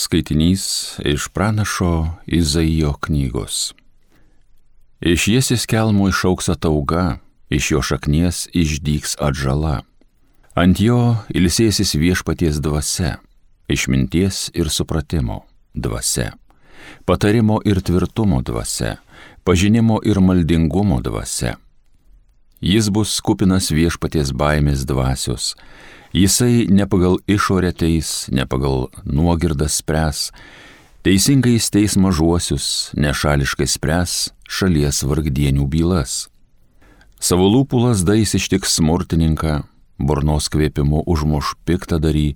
Skaitinys iš pranašo Izaijo knygos. Iš Jesės kelmo išaugs atauga, iš jo šaknies išdygs atžala. Ant jo ilsėsis viešpaties dvasia, išminties ir supratimo dvasia, patarimo ir tvirtumo dvasia, pažinimo ir maldingumo dvasia. Jis bus kupinas viešpaties baimės dvasios. Jisai ne pagal išorę teis, ne pagal nuogirdą spręs, teisingai teis mažuosius, nešališkai spręs šalies vargdienių bylas. Savo lūpų lazdais ištiks smurtininką, burnos kvėpimu užmuš piktadarį,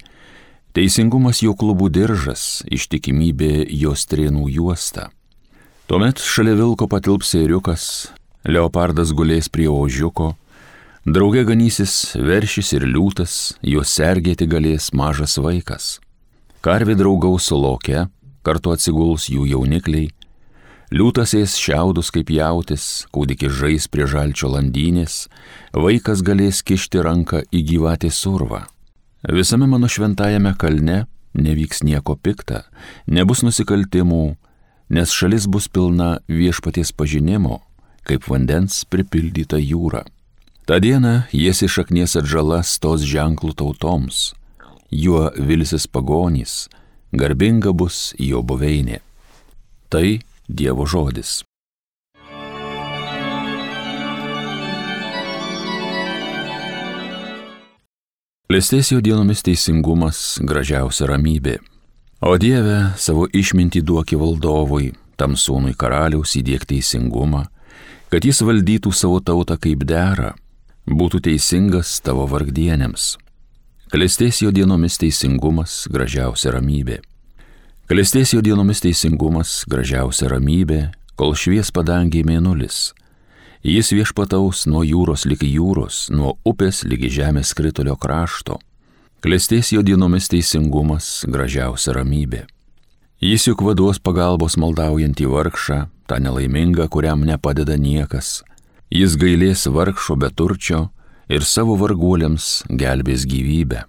teisingumas jo klubų diržas, ištikimybė jo strėnų juosta. Tuomet šalia vilko patilps ėriukas, leopardas gulės prie ožiuko, drauge ganysis veršis ir liūtas, juos sergėti galės mažas vaikas. Karvė draugaus su loke, kartu atsiguls jų jaunikliai, liūtas ės šiaudus kaip jautis, kūdikis žais prie žalčio landynės, vaikas galės kišti ranką į gyvatės urvą. Visame mano šventajame kalne nevyks nieko pikta, nebus nusikaltimų, nes šalis bus pilna viešpaties pažinimo, kaip vandens pripildyta jūra. Ta diena Jesės šaknies atžala stos ženklų tautoms, juo vilsis pagonys, garbinga bus jo buveinė. Tai Dievo žodis. Klestės jo dienomis teisingumas, gražiausia ramybė. O Dieve, savo išmintį duoki valdovui, tam sūnui karaliaus įdiek teisingumą, kad jis valdytų savo tautą kaip dera, būtų teisingas tavo vargdienėms. Klestės jo dienomis teisingumas, gražiausia ramybė. Klestės jo dienomis teisingumas, gražiausia ramybė, kol švies padangiai mėnulis. Jis viešpataus nuo jūros ligi jūros, nuo upės ligi žemės skritulio krašto. Klestės jo dienomis teisingumas, gražiausia ramybė. Jis juk vaduos pagalbos maldaujantį vargšą, tą nelaimingą, kuriam nepadeda niekas. Jis gailės vargšo beturčio ir savo varguoliams gelbės gyvybę.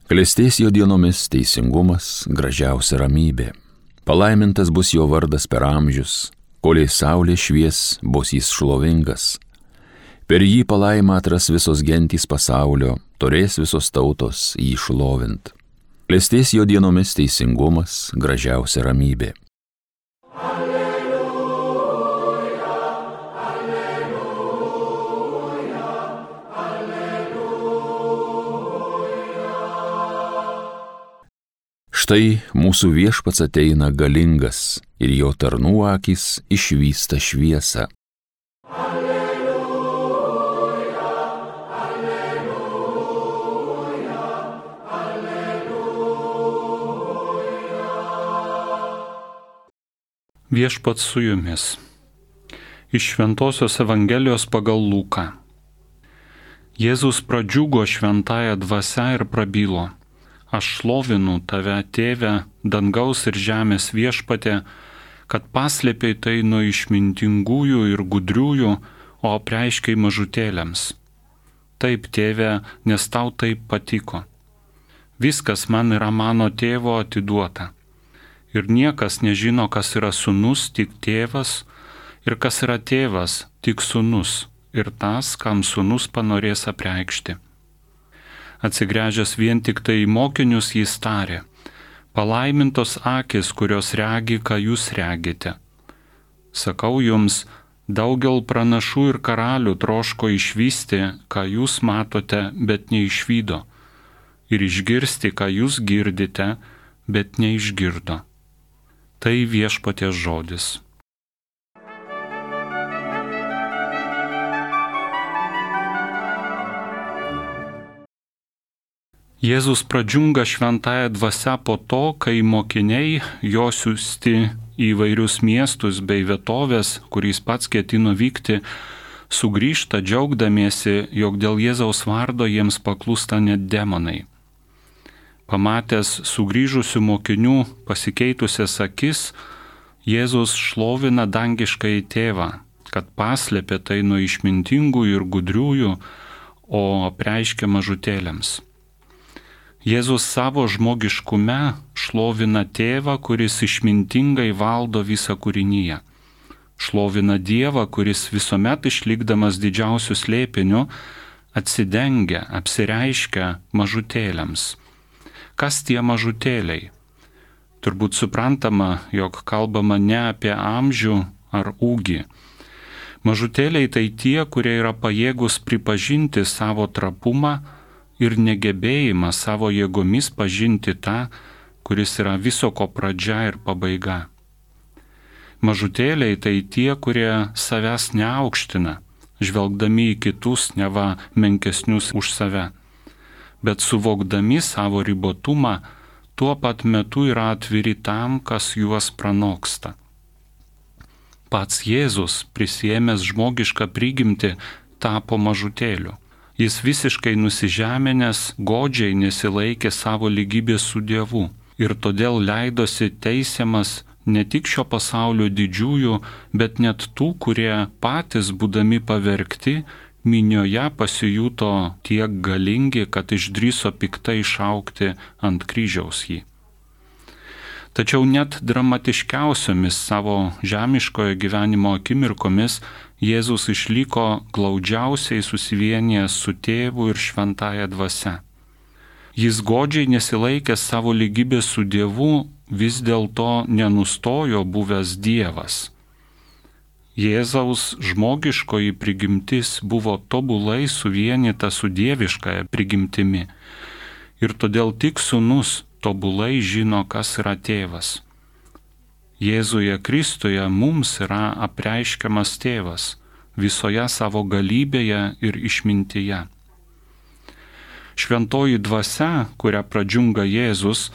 Klestės jo dienomis teisingumas, gražiausia ramybė. Palaimintas bus jo vardas per amžius, koliai saulė švies, bus jis šlovingas. Per jį palaimą atras visos gentys pasaulio, turės visos tautos jį šlovint. Klestės jo dienomis teisingumas, gražiausia ramybė. Štai mūsų viešpats ateina galingas ir jo tarnų akys išvysta šviesą. Alleluja, alleluja, alleluja. Viešpats su jumis. Iš Šventosios Evangelijos pagal Luką. Jėzus pradžiugo šventąja dvasia ir prabilo: Aš šlovinu tave, Tėve, dangaus ir žemės viešpatie, kad paslėpei tai nuo išmintingųjų ir gudriųjų, o apreiškei mažutėliams. Taip, Tėve, nes tau taip patiko. Viskas man yra mano Tėvo atiduota. Ir niekas nežino, kas yra sūnus, tik Tėvas, ir kas yra Tėvas, tik sūnus, ir tas, kam sūnus panorės apreikšti. Atsigręžęs vien tik tai į mokinius jis tarė: Palaimintos akys, kurios regi, ką jūs regite. Sakau jums, daugel pranašų ir karalių troško išvysti, ką jūs matote, bet neišvydo, ir išgirsti, ką jūs girdite, bet neišgirdo. Tai viešpaties žodis. Jėzus pradžiunga šventąja dvasia po to, kai mokiniai jo siųsti į įvairius miestus bei vietovės, kur jis pats ketino vykti, sugrįžta džiaugdamiesi, jog dėl Jėzaus vardo jiems paklūsta net demonai. Pamatęs sugrįžusių mokinių pasikeitusias akis, Jėzus šlovina dangiškąjį Tėvą, kad paslėpė tai nuo išmintingųjų ir gudriųjų, o apreiškė mažutėliams. Jėzus savo žmogiškume šlovina Tėvą, kuris išmintingai valdo visą kūrinyje. Šlovina Dievą, kuris visuomet išlikdamas didžiausiu slėpiniu atsidengia, apsireiškia mažutėliams. Kas tie mažutėliai? Turbūt suprantama, jog kalbama ne apie amžių ar ūgį. Mažutėliai tai tie, kurie yra pajėgus pripažinti savo trapumą ir negebėjimą savo jėgomis pažinti tą, kuris yra viso ko pradžia ir pabaiga. Mažutėliai tai tie, kurie savęs neaukština, žvelgdami į kitus neva menkesnius už save, bet suvokdami savo ribotumą, tuo pat metu yra atviri tam, kas juos pranoksta. Pats Jėzus, prisiėmęs žmogišką prigimtį, tapo mažutėliu. Jis visiškai nusižeminęs, godžiai nesilaikė savo lygybės su Dievu ir todėl leidosi teisiamas ne tik šio pasaulio didžiųjų, bet net tų, kurie patys būdami pavergti, minioje pasijuto tiek galingi, kad išdrįso piktai šaukti ant kryžiaus jį. Tačiau net dramatiškiausiomis savo žemiškojo gyvenimo akimirkomis Jėzus išliko glaudžiausiai susivienijęs su Tėvu ir Šventąja Dvasia. Jis godžiai nesilaikęs savo lygybės su Dievu, vis dėlto nenustojo buvęs Dievas. Jėzaus žmogiškoji prigimtis buvo tobulai suvienyta su dieviškąja prigimtimi ir todėl tik Sūnus tobulai žino, kas yra Tėvas. Jėzuje Kristuje mums yra apreiškiamas Tėvas visoje savo galybėje ir išmintyje. Šventoji Dvasia, kurią pradžiunga Jėzus,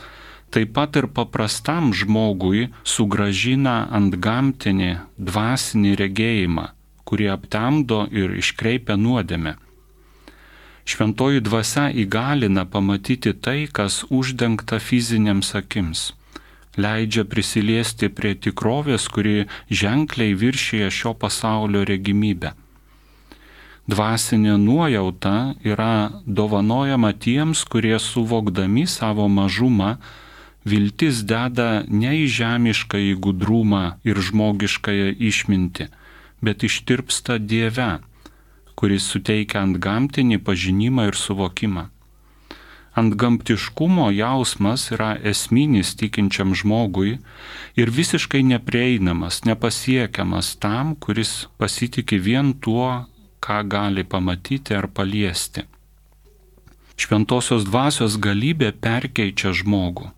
taip pat ir paprastam žmogui sugrąžina antgamtinį dvasinį regėjimą, kurį aptemdo ir iškreipia nuodėmę. Šventoji Dvasia įgalina pamatyti tai, kas uždengta fiziniams akims, leidžia prisiliesti prie tikrovės, kuri ženkliai viršyje šio pasaulio regimybę. Dvasinė nuojauta yra dovanojama tiems, kurie suvokdami savo mažumą viltis deda ne į žemiškąjį gudrumą ir žmogiškąją išmintį, bet ištirpsta Dieve, kuris suteikia antgamtinį pažinimą ir suvokimą. Antgamtiškumo jausmas yra esminis tikinčiam žmogui ir visiškai neprieinamas, nepasiekiamas tam, kuris pasitiki vien tuo, ką gali pamatyti ar paliesti. Šventosios dvasios galybė perkeičia žmogų,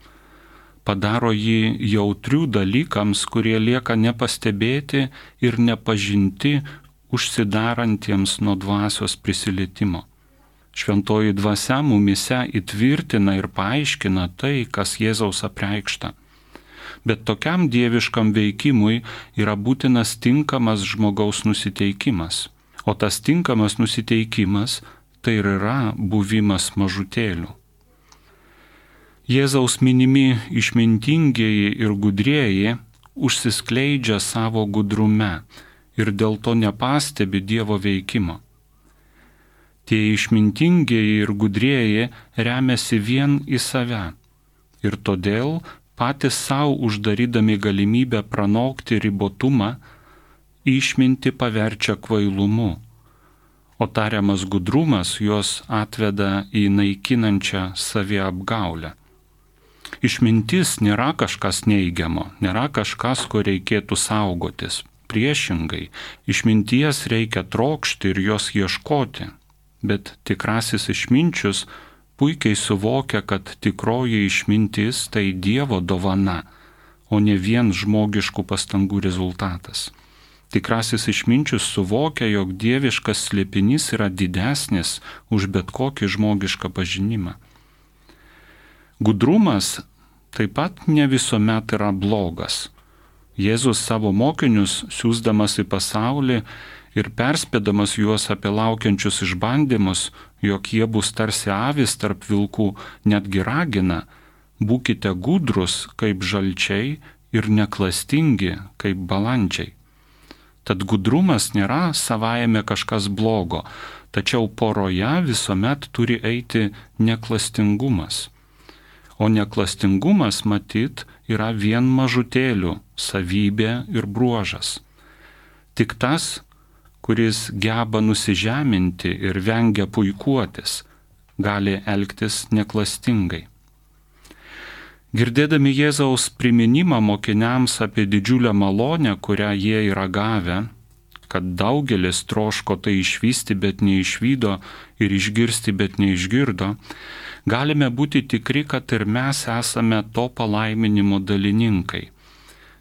padaro jį jautrių dalykams, kurie lieka nepastebėti ir nepažinti užsidarantiems nuo dvasios prisilietimo. Šventoji Dvasia mumise įtvirtina ir paaiškina tai, kas Jėzaus apreikšta. Bet tokiam dieviškam veikimui yra būtinas tinkamas žmogaus nusiteikimas. O tas tinkamas nusiteikimas tai ir yra buvimas mažutėliu. Jėzaus minimi išmintingieji ir gudrieji užsiskleidžia savo gudrume ir dėl to nepastebi Dievo veikimo. Tie išmintingieji ir gudrieji remiasi vien į save ir todėl patys savo uždarydami galimybę pranokti ribotumą, išmintį paverčia kvailumu, o tariamas gudrumas juos atveda į naikinančią saviapgaulę. Išmintis nėra kažkas neigiamo, nėra kažkas, ko reikėtų saugotis. Priešingai, išminties reikia trokšti ir jos ieškoti, bet tikrasis išminčius puikiai suvokia, kad tikroji išmintis tai Dievo dovana, o ne vien žmogiškų pastangų rezultatas. Tikrasis išminčius suvokia, jog dieviškas slėpinys yra didesnis už bet kokį žmogišką pažinimą. Gudrumas taip pat ne visuomet yra blogas. Jėzus savo mokinius siųsdamas į pasaulį ir perspėdamas juos apie laukiančius išbandymus, jog jie bus tarsi avys tarp vilkų, netgi ragina: būkite gudrus kaip žalčiai ir neklastingi kaip balandžiai. Tad gudrumas nėra savaime kažkas blogo, tačiau poroje visuomet turi eiti neklastingumas. o neklastingumas matyt yra vien mažutėlių savybė ir bruožas. Tik tas, kuris geba nusižeminti ir vengia puikuotis, gali elgtis neklastingai. Girdėdami Jėzaus priminimą mokiniams apie didžiulę malonę, kurią jie yra gavę, kad daugelis troško tai išvysti, bet neišvydo ir išgirsti, bet neišgirdo, galime būti tikri, kad ir mes esame to palaiminimo dalininkai,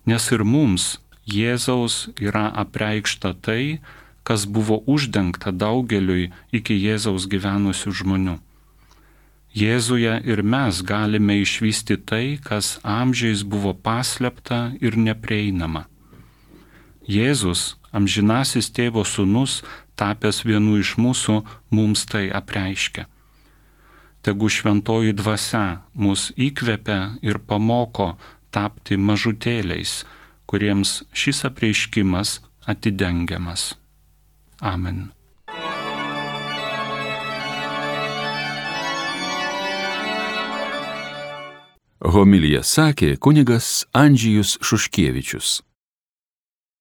nes ir mums Jėzaus yra apreikšta tai, kas buvo uždengta daugeliui iki Jėzaus gyvenusių žmonių. Jėzuje ir mes galime išvysti tai, kas amžiais buvo paslėpta ir neprieinama. Jėzus, amžinasis tėvo sūnus, tapęs vienu iš mūsų, mums tai apreiškia. Tegu šventoji dvasia mus įkvepia ir pamoko tapti mažutėliais, kuriems šis apreiškimas atidengiamas. Amen. Homiliją sakė kunigas Andžejus Šuškevičius.